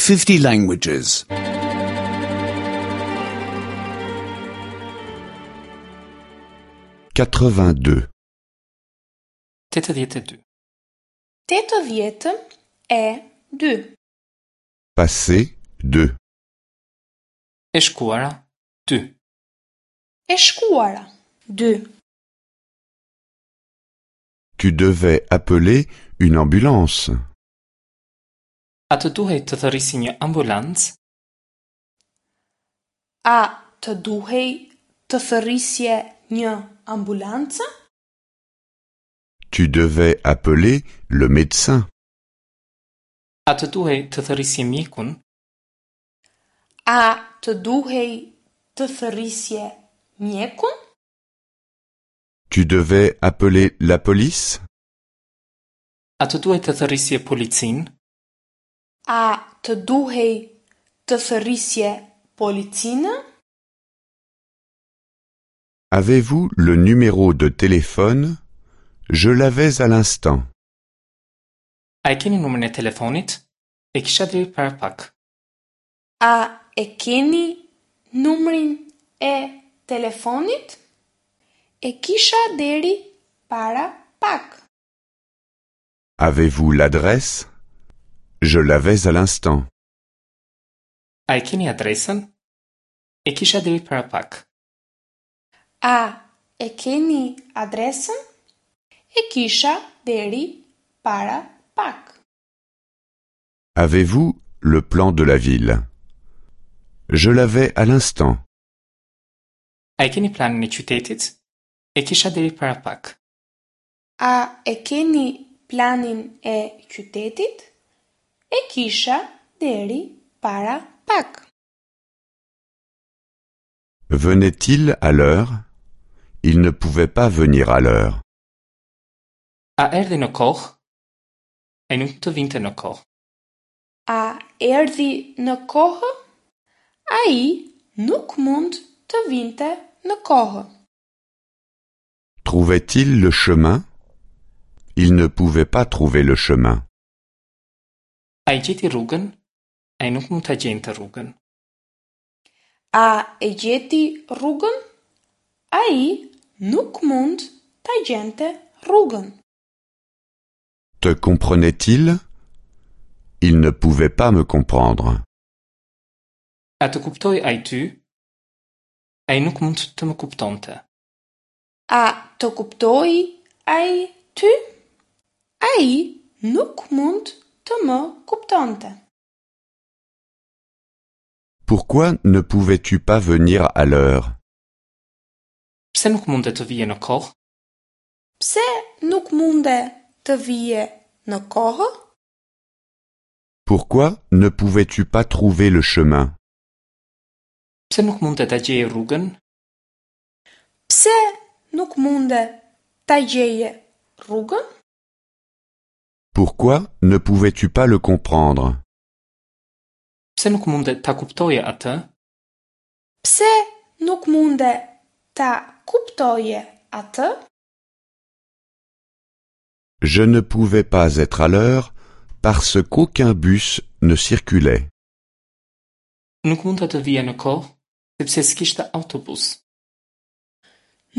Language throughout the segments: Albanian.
50 languages. 82. 82. 82. Passé 2. E shkuara 2. E shkuara 2. Tu devais appeler une ambulance. A të duhej të thërrisje një ambulancë? A të duhej të thërrisje një ambulancë? Tu devais appeler le médecin. A të duhej të thërrisje mjekun? A të duhej të thërrisje mjekun? Tu devais appeler la police. A të duhej të thërrisje policinë? A të duhej të thërrisje policinë? Avez-vous le numéro de téléphone? Je l'avais à l'instant. A e keni numrin e telefonit? E kisha deri para pak. A e keni numrin e telefonit? E kisha deri para pak. Avez-vous l'adresse? Je l'avais à l'instant. A e keni adresën? E kisha deri para pak. A e keni adresën? E kisha deri para pak. Avez-vous le plan de la ville? Je l'avais à l'instant. A e keni planin e qytetit? E kisha deri para pak. A e keni planin e qytetit? E kisha deri para pak. Venait-il à l'heure? Il ne pouvait pas venir à l'heure. A erdhi në kohë? Ai nuk mund të vinte në kohë. A erdhi në kohë? Ai nuk mund të vinte në kohë. Trouvait-il le chemin? Il ne pouvait pas trouver le chemin. A e gjeti rrugën? Ai nuk mund ta gjente rrugën. A e gjeti rrugën? Ai nuk mund ta gjente rrugën. Te comprenait-il? Il ne pouvait pas me comprendre. A të kuptoi ai ty? Ai nuk mund të më kuptonte. A të kuptoi ai ty? Ai nuk mund të më kuptonte. Pourquoi ne pouvais-tu pas venir à l'heure? Pse nuk munde të vije në kohë? Pse nuk munde të vije në kohë? Pourquoi ne pouvais-tu pas trouver le chemin? Pse nuk munde ta gjeje rrugën? Pse nuk munde ta gjeje rrugën? Pourquoi ne pouvais-tu pas le comprendre? Pse nuk munde ta kuptoje atë? Pse nuk munde ta kuptoje atë? Je ne pouvais pas être à l'heure parce qu'aucun bus ne circulait. Nuk munda të vija në kohë, sepse s'kishte autobus.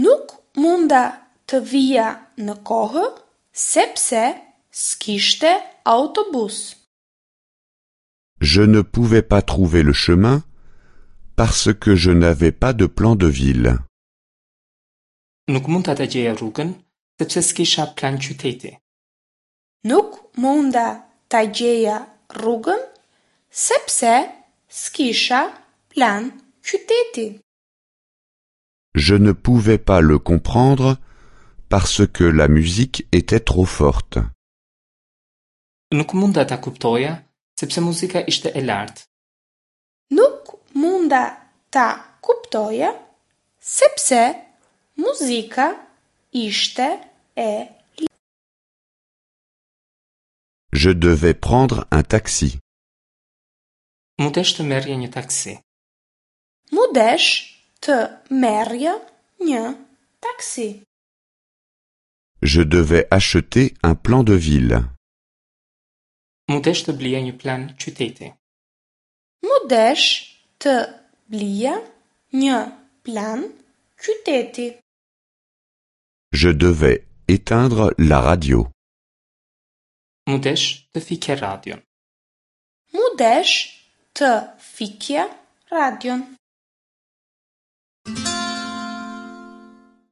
Nuk munda të vija në kohë sepse s'kishte autobus. Je ne pouvais pas trouver le chemin parce que je n'avais pas de plan de ville. Nuk munda ta gjeja rrugën, sepse s'kisha plan qyteti. Nuk munda ta gjeja rrugën sepse s'kisha plan qyteti. Je ne pouvais pas le comprendre parce que la musique était trop forte. Nuk munda ta kuptoja, sepse muzika ishte e lartë. Nuk munda ta kuptoja sepse muzika ishte e Je devais prendre un taxi. Mu desh të merrja një taksi. Mu desh të merrja një taksi. Je devais acheter un plan de ville. Mu desh të blija një plan qyteti. M'u desh të blija një plan qyteti. Je devais éteindre la radio. M'u desh të fikja radion. M'u desh të fikja radion.